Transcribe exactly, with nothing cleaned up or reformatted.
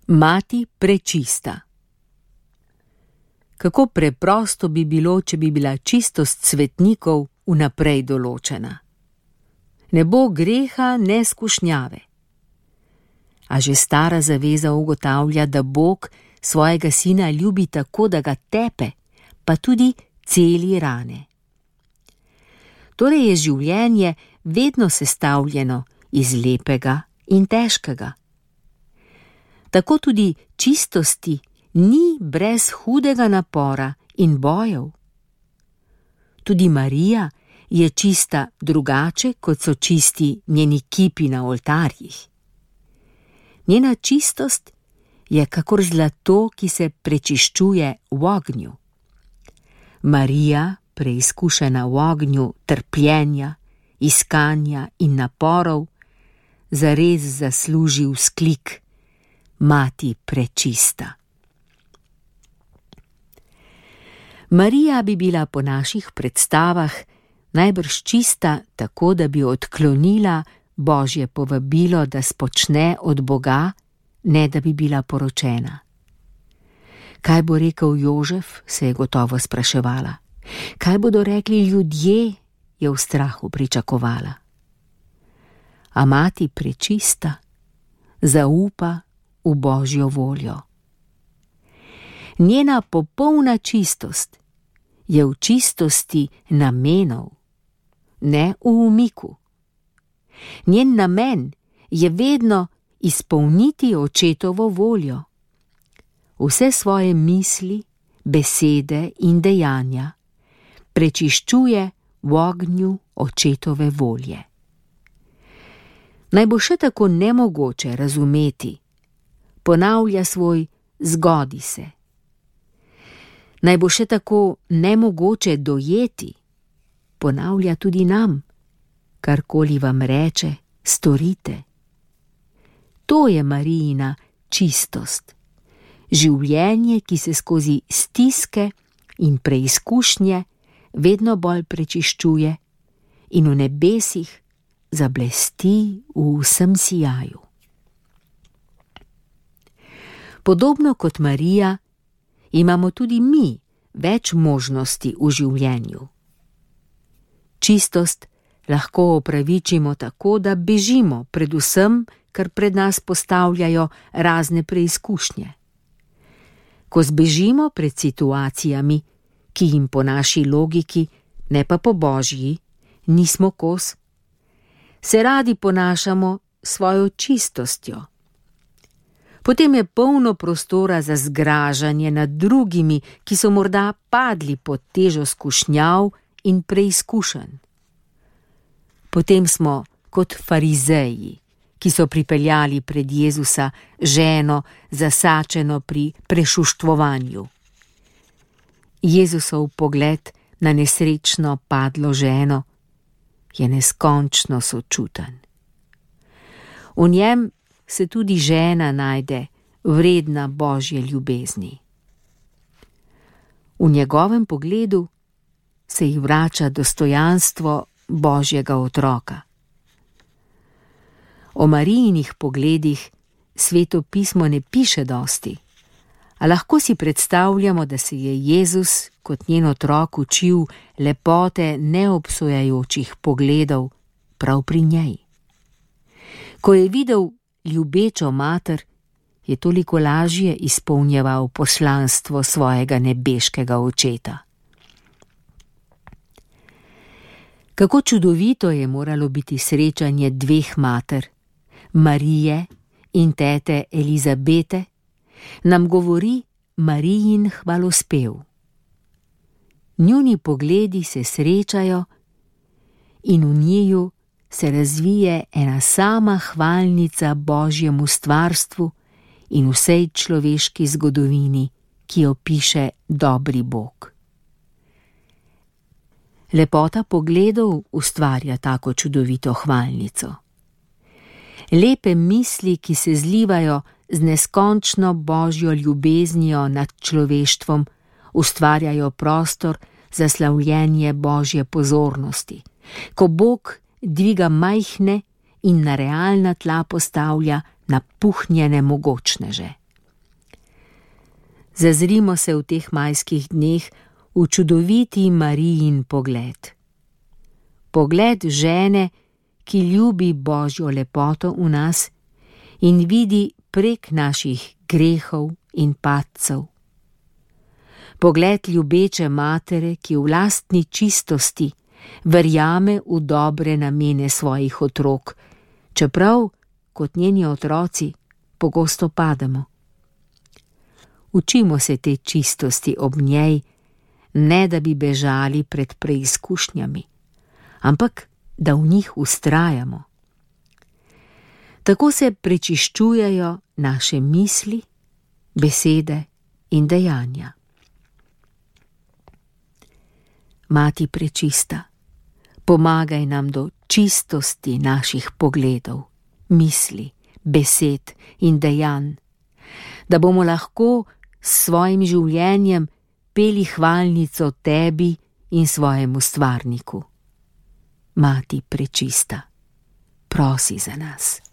Mati prečista. Kako preprosto bi bilo, če bi bila čistost svetnikov vnaprej določena. Ne bo greha, ne skušnjave. A že stara zaveza ugotavlja, da Bog svojega sina ljubi tako, da ga tepe, pa tudi celi rane. Torej je življenje vedno sestavljeno iz lepega in težkega. Tako tudi čistosti ni brez hudega napora in bojev. Tudi Marija je čista drugače, kot so čisti njeni kipi na oltarjih. Njena čistost je kakor zlato, ki se prečiščuje v ognju. Marija, preizkušena v ognju trpljenja, iskanja in naporov, zares zasluži vzklik: Mati prečista. Marija bi bila po naših predstavah najbrž čista tako, da bi odklonila Božje povabilo, da spočne od Boga, ne da bi bila poročena. Kaj bo rekel Jožef, se je gotovo spraševala. Kaj bodo rekli ljudje, je v strahu pričakovala. A mati prečista zaupa v Božjo voljo. Njena popolna čistost je v čistosti namenov, ne v umiku. Njen namen je vedno izpolniti očetovo voljo. Vse svoje misli, besede in dejanja prečiščuje v ognju očetove volje. Naj bo še tako nemogoče razumeti, ponavlja svoj zgodi se. Naj bo še tako nemogoče dojeti, ponavlja tudi nam, karkoli vam reče, storite. To je Marijina čistost, življenje, ki se skozi stiske in preizkušnje vedno bolj prečiščuje in v nebesih zablesti v vsem sijaju. Podobno kot Marija, imamo tudi mi več možnosti v življenju. Čistost lahko opravičimo tako, da bežimo pred vsem, kar pred nas postavljajo razne preizkušnje. Ko zbežimo pred situacijami, ki jim po naši logiki, ne pa po Božji, nismo kos, se radi ponašamo svojo čistostjo. Potem je polno prostora za zgražanje nad drugimi, ki so morda padli pod težo skušnjav in preizkušenj. Potem smo kot farizeji, ki so pripeljali pred Jezusa ženo zasačeno pri prešuštvovanju. Jezusov pogled na nesrečno padlo ženo je neskončno sočuten. V njem se tudi žena najde vredna Božje ljubezni. V njegovem pogledu se jih vrača dostojanstvo Božjega otroka. O Marijinih pogledih Sveto pismo ne piše dosti, a lahko si predstavljamo, da se je Jezus kot njen otrok učil lepote neobsojajočih pogledov prav pri njej. Ko je videl ljubečo mater, je toliko lažje izpolnjeval poslanstvo svojega nebeškega očeta. Kako čudovito je moralo biti srečanje dveh mater, Marije in tete Elizabete, nam govori Marijin hvalospev. Njuni pogledi se srečajo in v njiju se razvije ena sama hvalnica Božjemu stvarstvu in vsej človeški zgodovini, ki jo piše dobri Bog. Lepota pogledov ustvarja tako čudovito hvalnico. Lepe misli, ki se zlivajo z neskončno Božjo ljubeznijo nad človeštvom, ustvarjajo prostor za slavljenje Božje pozornosti, ko Bog dviga majhne in na realna tla postavlja napuhnjene mogočneže. Zazrimo se v teh majskih dneh v čudoviti Marijin pogled. Pogled žene, ki ljubi Božjo lepoto v nas in vidi prek naših grehov in padcev. Pogled ljubeče matere, ki v lastni čistosti verjame v dobre namene svojih otrok, čeprav, kot njeni otroci, pogosto pademo. Učimo se te čistosti ob njej, ne da bi bežali pred preizkušnjami, ampak da v njih vztrajamo. Tako se prečiščujejo naše misli, besede in dejanja. Mati prečista, pomagaj nam do čistosti naših pogledov, misli, besed in dejanj, da bomo lahko s svojim življenjem peli hvalnico tebi in svojemu stvarniku. Mati prečista, prosi za nas.